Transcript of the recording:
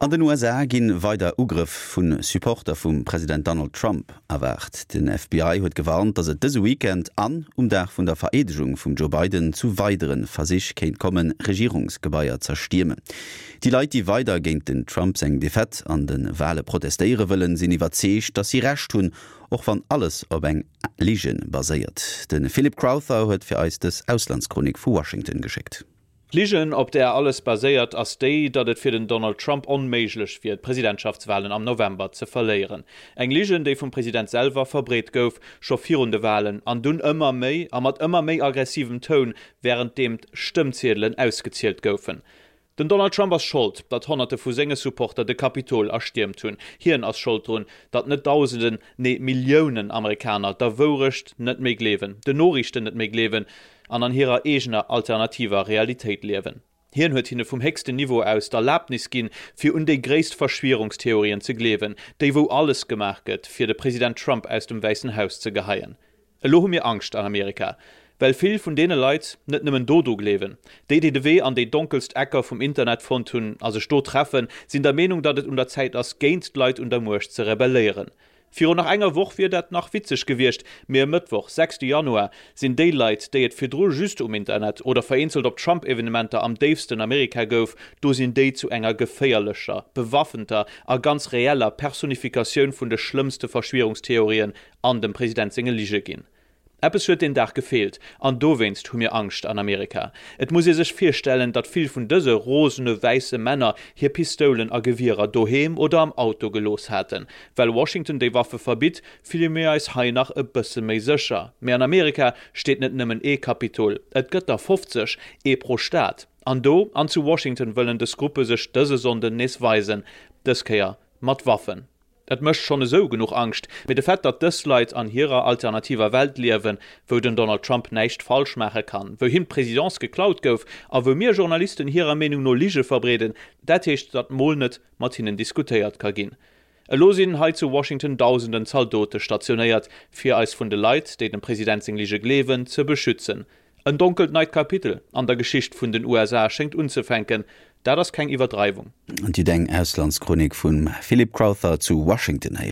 An den USA ginn weider Ugrëff vu Supporter vum President Donald Trump erwaart. Den FBI huet gewarnt, datt et dëse Weekend an um Dag vun der Vereedegung vum Joe Biden zu weidere Versich kéint kommen, Regierungsgebaier z'erstiermen. Déi Leit, déi weider géint den Trump seng Defaite an de Wale protestéiere wëllen, sinn iwwerzeegt, datt si Recht hunn, och wann alles op eng Lige baséiert. De Philip Crowther huet fir eis dës Auslandschronik vu Washington geschéckt. D'Ligen, op där alles baséiert, ass déi, datt et fir den Donald Trump onméiglech wier, d'Presidentschaftswalen am November ze verléieren. Eng Ligen, déi vum President selwer verbreet gouf, scho virun de Walen, an dunn ëmmer méi a mat ëmmer méi aggressivem Toun, wärenddeem d'Stëmmziedelen ausgezielt goufen. Den Donald Trump ass Schold, datt Honnerte vu senge Supporter de Kapitol erstiermt hunn. Hien ass Schold drun, datt net Dausenden, nee Milliounen Amerikaner der Wourecht net méi gleewen, den Noriichten net méi gleewen an an hirer eegener alternativer Realitéit liewen. Hien huet hinne vum héchsten Niveau aus d'Erlaabnis ginn, fir un déi gréisst Verschwierungstheorien ze gleewen, déi wou alles gemaach gëtt, fir de President Trump aus dem Wäissen Haus ze geheien. Elo hu mir Angscht an Amerika, well vill vun deene Leit net nëmmen do dru gleewen. Déi, déi de Wee an déi donkelst Ecker vum Internet fonnt hunn a sech do treffen, sinn der Meenung, datt et un der Zäit ass, géint d'Leit un der Muecht ze rebelléieren. Virun nach enger Woch wier dat nach witzeg gewiescht, mee e Mëttwoch, 6 Januar, sinn déi Leit, déi et virdru just um Internet oder vereenzelt op Trump-Evenementer am déifsten Amerika gouf, do sinn déi zu enger geféierlecher, bewaffenter a ganz reeller Personifikatioun vun de schlëmmste Verschwierungstheorien an dem President senge Lige ginn. Eppes huet deen Dag gefeelt, an dowéinst hu mir Angscht an Amerika. Et muss ee sech virstellen, datt vill vun dëse rosene wäisse Männer hir Pistoulen a Gewierer doheem oder am Auto gelooss haten. Well Washington déi Waffe verbitt, fille mir eis hei nach e bësse méi sécher. Mee an Amerika steet net nëmmen ee Kapitol, et gëtt der 50, ee pro Staat. An do an zu Washington wëllen dës Gruppe sech dëse Sonnden nees weisen, dës Kéier mat Waffen. Et mécht schonn esou genuch Angscht, mee de Fait, datt dës Leit an hirer alternativer Welt liewen, wou den Donald Trump näischt falsch maache kann, wou him d'Presidence geklaut gouf a wou mir Journalisten hirer Meenung no Lige verbreeden, dat heescht, datt mol net mat hinnen diskutéiert ka ginn. Elo sinn hei zu Washington dausenden Zaldote stationéiert, fir eis vun de Leit, déi dem President seng Lige gleewen, ze beschützen. En donkelt neit Kapitel an der Geschicht vun den USA schéngt unzefänken. Dat ass keng Iwwerdreiwung. Dir hutt eng Auslandschronik vum Philip Crowther zu Washington héieren.